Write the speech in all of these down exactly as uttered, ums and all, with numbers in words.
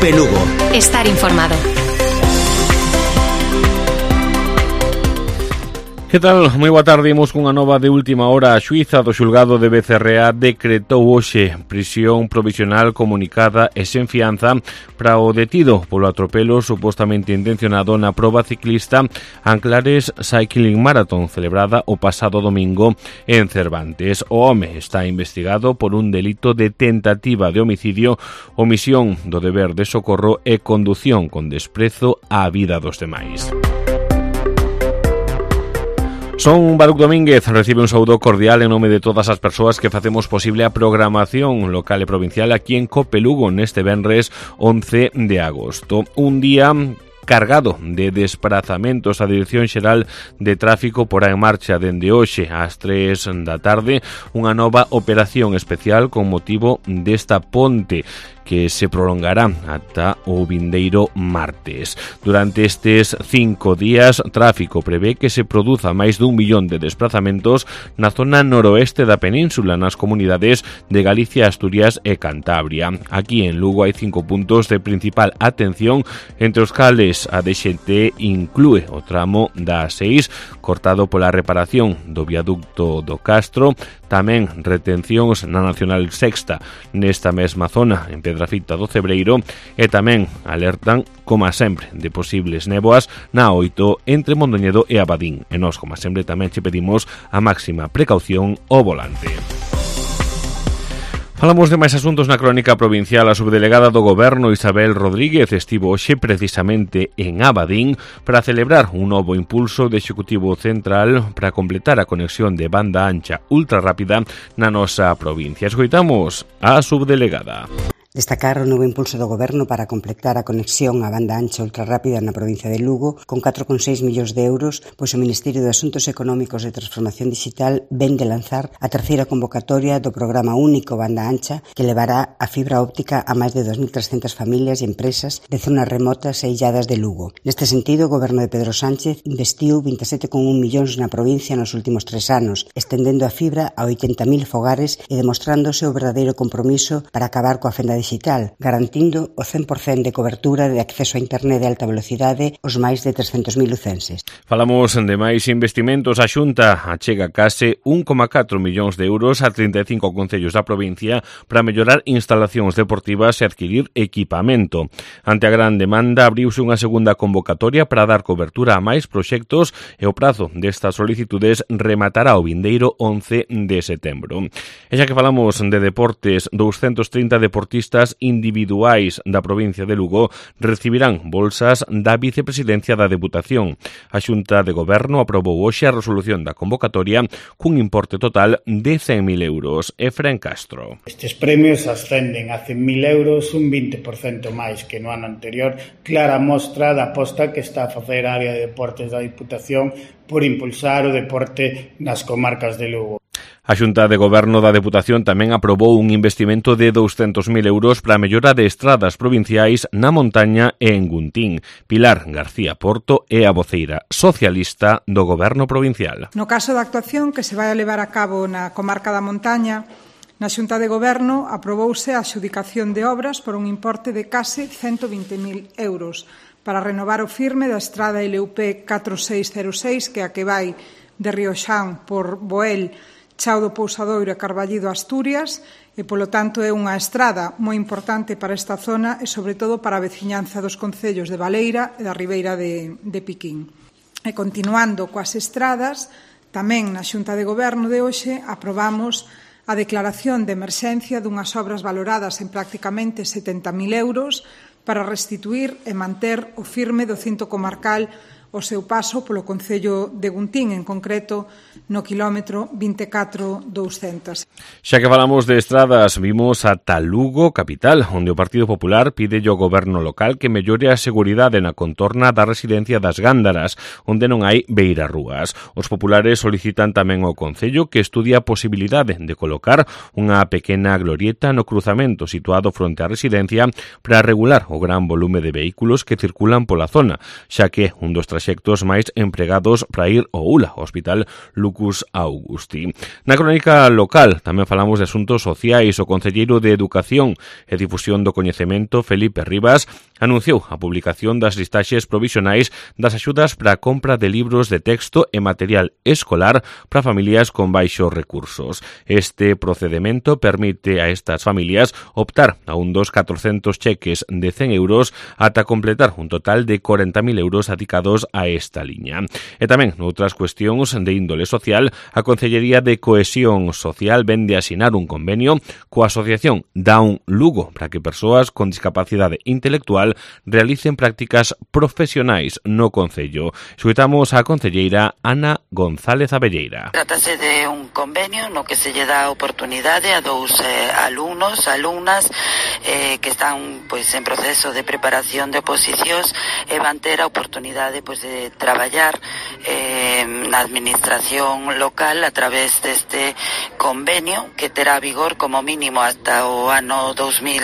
COPE Lugo. Estar informado. Que tal? Moi boa tarde, imos cunha nova de última hora. A xuíza do xulgado de Becerreá decretou hoxe prisión provisional comunicada e sen fianza para o detido polo atropelo supostamente intencionado na proba ciclista Anclares Cycling Marathon celebrada o pasado domingo en Cervantes. O home está investigado por un delito de tentativa de homicidio, omisión do deber de socorro e condución con desprezo á vida dos demais. Son Baruc Domínguez, recibe un saúdo cordial en nome de todas as persoas que facemos posible a programación local e provincial aquí en COPE Lugo neste venres once de agosto. Un día cargado de desprazamentos. A Dirección Xeral de Tráfico porá en marcha dende hoxe ás tres da tarde unha nova operación especial con motivo desta ponte que se prolongará ata o vindeiro martes. Durante estes cinco días, Tráfico prevé que se produza máis dun millón de desplazamentos na zona noroeste da península, nas comunidades de Galicia, Asturias e Cantabria. Aquí en Lugo hai cinco puntos de principal atención, entre os cales a D X T inclúe o tramo da A seis, cortado pola reparación do viaducto do Castro, tamén retencións na Nacional Sexta nesta mesma zona, en Pedrafita do Cebreiro, e tamén alertan, como sempre, de posibles néboas na oito entre Mondoñedo e Abadín. E nós, como sempre, tamén che pedimos a máxima precaución ao volante. Falamos de máis asuntos na crónica provincial. A subdelegada do Goberno, Isabel Rodríguez, estivo hoxe precisamente en Abadín para celebrar un novo impulso de Executivo Central para completar a conexión de banda ancha ultra rápida na nosa provincia. Escoitamos a subdelegada. Destacar o novo impulso do Goberno para completar a conexión á banda ancha ultrarrápida na provincia de Lugo con catro coma seis millóns de euros, pois o Ministerio de Asuntos Económicos e Transformación Digital ven de lanzar a terceira convocatoria do Programa Único Banda Ancha que levará a fibra óptica a máis de dos mil trescentas familias e empresas de zonas remotas e illadas de Lugo. Neste sentido, o Goberno de Pedro Sánchez investiu vinte e sete coma un millóns na provincia nos últimos tres anos, estendendo a fibra a oitenta mil fogares e demostrándose o verdadeiro compromiso para acabar coa fenda digital, garantindo o cen por cento de cobertura de acceso a internet de alta velocidade aos máis de trescentos mil lucenses. Falamos de máis investimentos. A Xunta achega case un coma catro millóns de euros a trinta e cinco concellos da provincia para mellorar instalacións deportivas e adquirir equipamento. Ante a gran demanda, abriuse unha segunda convocatoria para dar cobertura a máis proxectos e o prazo destas solicitudes rematará o vindeiro once de setembro. E xa que falamos de deportes, doscientos trinta deportistas individuais da provincia de Lugo recibirán bolsas da Vicepresidencia da Deputación. A Xunta de Goberno aprobou hoxe a resolución da convocatoria cun importe total de cen mil euros. Efraín Castro. Estes premios ascenden a cen mil euros, un vinte por cento máis que no ano anterior, clara mostra da aposta que está a facer a área de deportes da Deputación por impulsar o deporte nas comarcas de Lugo. A Xunta de Goberno da Deputación tamén aprobou un investimento de doscientos mil euros para a mellora de estradas provinciais na montaña e en Guntín. Pilar García Porto é a voceira socialista do Goberno provincial. No caso da actuación que se vai a levar a cabo na comarca da montaña, na Xunta de Goberno aprobouse a adxudicación de obras por un importe de case ciento vinte mil euros para renovar o firme da estrada L U P catro seis cero seis, que a que vai de Rioxán por Boel, Chao do Pousadoiro e Carballido, Asturias, e, polo tanto, é unha estrada moi importante para esta zona e, sobre todo, para a veciñanza dos concellos de Baleira e da Ribeira de, de Piquín. E, continuando coas estradas, tamén na Xunta de Goberno de hoxe aprobamos a declaración de emerxencia dunhas obras valoradas en prácticamente setenta mil euros para restituir e manter o firme do cinto comarcal o seu paso polo concello de Guntín, en concreto no quilómetro vinte e catro douscentos. Xa que falamos de estradas, vimos ata Lugo capital, onde o Partido Popular pide ao goberno local que mellore a seguridade na contorna da residencia das Gándaras, onde non hai beirarrúas. Os populares solicitan tamén ao concello que estudie a posibilidade de colocar unha pequena glorieta no cruzamento situado fronte á residencia para regular o gran volume de vehículos que circulan pola zona, xa que un dos traxectos proxectos máis empregados para ir ao U L A, o Hospital Lucus Augusti. Na crónica local tamén falamos de asuntos sociais. O concelleiro de Educación e Difusión do Coñecemento, Felipe Rivas, anunciou a publicación das listaxes provisionais das axudas para a compra de libros de texto e material escolar para familias con baixos recursos. Este procedimento permite a estas familias optar a un dos catrocentos cheques de cen euros ata completar un total de corenta mil euros dedicados a esta liña. E tamén, noutras cuestións de índole social, a Concellería de Cohesión Social vende a asinar un convenio coa Asociación Down Lugo para que persoas con discapacidade intelectual realicen prácticas profesionais no concello. Escoitamos a concelleira Ana González Abelleira. Trátase de un convenio no que se lle dá oportunidade a dous eh, alumnos, alumnas eh, que están pois en proceso de preparación de oposicións e van ter a oportunidade pois de traballar eh, na administración local a través deste convenio que terá vigor como mínimo hasta o ano dos mil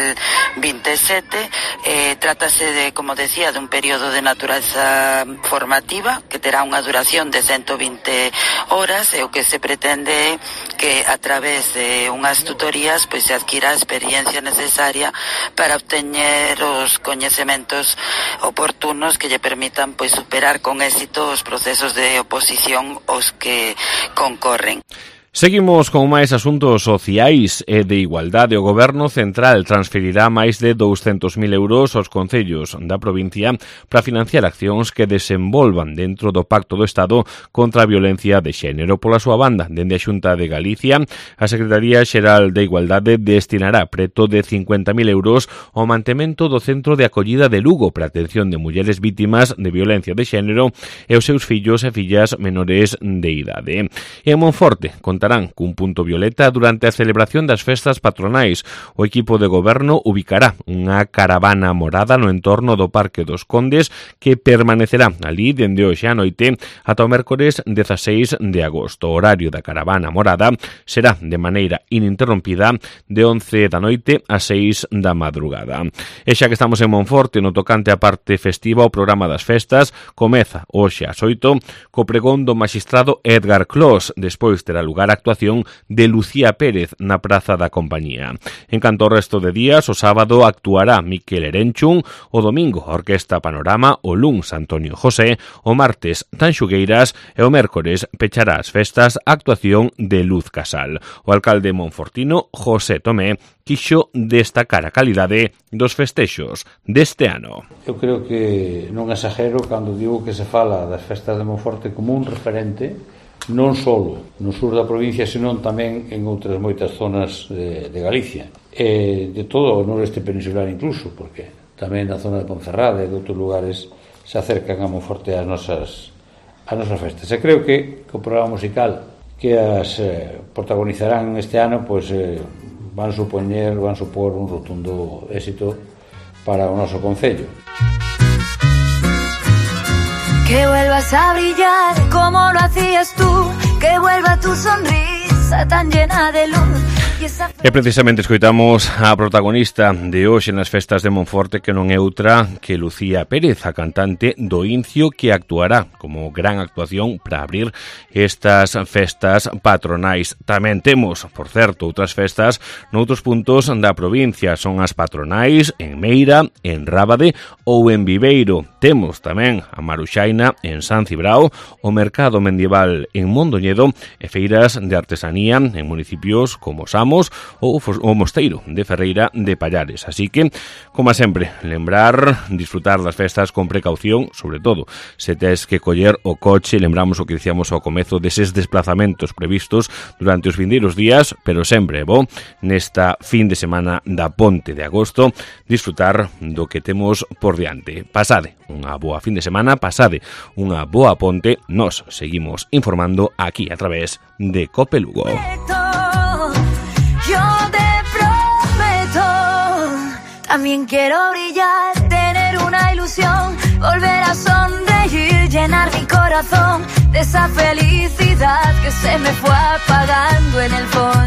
veintisiete. Eh, trátase de, como decía, de un período de naturaleza formativa que terá unha duración de ciento vinte horas e o que se pretende é que a través de unhas tutorías pois se adquira a experiencia necesaria para obteñer os coñecementos oportunos que lle permitan pois superar con éxito os procesos de oposición aos que concorren. Seguimos con máis asuntos sociais e de igualdade. O Goberno Central transferirá máis de douscentos mil euros aos concellos da provincia para financiar accións que desenvolvan dentro do Pacto do Estado contra a violencia de xénero. Pola súa banda, dende a Xunta de Galicia, a Secretaría Xeral de Igualdade destinará preto de cincuenta mil euros ao mantemento do Centro de Acollida de Lugo para a atención de mulleres vítimas de violencia de xénero e os seus fillos e fillas menores de idade. E en Monforte, contarán cun punto violeta durante a celebración das festas patronais. O equipo de goberno ubicará unha caravana morada no entorno do Parque dos Condes que permanecerá ali dende hoxe á noite ata o mércores dezaseis de agosto. O horario da caravana morada será de maneira ininterrompida de once da noite a seis da madrugada. E xa que estamos en Monforte, no tocante á parte festiva, o programa das festas comeza hoxe ás oito co pregón do magistrado Edgar Clos. Despois terá lugar a actuación de Lucía Pérez na Praza da Compañía. En canto ao resto de días, o sábado actuará Miquel Erenchun, o domingo a Orquesta Panorama, o luns Antonio José, o martes Tanxugueiras e o mércores pechará as festas a actuación de Luz Casal. O alcalde monfortino, José Tomé, quixo destacar a calidade dos festexos deste ano. Eu creo que non exagero cando digo que se fala das festas de Monforte como un referente non só no sur da provincia, senón tamén en outras moitas zonas de, de Galicia, e de todo o noreste peninsular incluso, porque tamén na zona de Ponferrada e de outros lugares se acercan a Monforte as nosas, as nosas festas. E creo que o programa musical que as eh, protagonizarán este ano pois, eh, van supoñer, van supor un rotundo éxito para o noso concello. Que vuelvas a brillar como lo hacías tú, que vuelva tu sonrisa tan llena de luz. E precisamente escoitamos a protagonista de hoxe nas festas de Monforte, que non é outra que Lucía Pérez, a cantante do Incio, que actuará como gran actuación para abrir estas festas patronais. Tamén temos, por certo, outras festas noutros puntos da provincia. Son as patronais en Meira, en Rábade ou en Viveiro. Temos tamén a Maruxaina en San Cibrao, o Mercado Medieval en Mondoñedo e feiras de artesanía en municipios como Samos ou o Mosteiro de Ferreira de Pallares. Así que, como sempre, lembrar, disfrutar das festas con precaución, sobre todo se tes que coller o coche. Lembramos o que dicíamos ao comezo deses desplazamentos previstos durante os vindeiros días, pero sempre é bo nesta fin de semana da Ponte de Agosto disfrutar do que temos por diante. Pasade unha boa fin de semana, pasade unha boa ponte. Nos seguimos informando aquí a través de Cope Lugo. También quiero brillar, tener una ilusión, volver a sonreír, llenar mi corazón de esa felicidad que se me fue apagando en el fondo.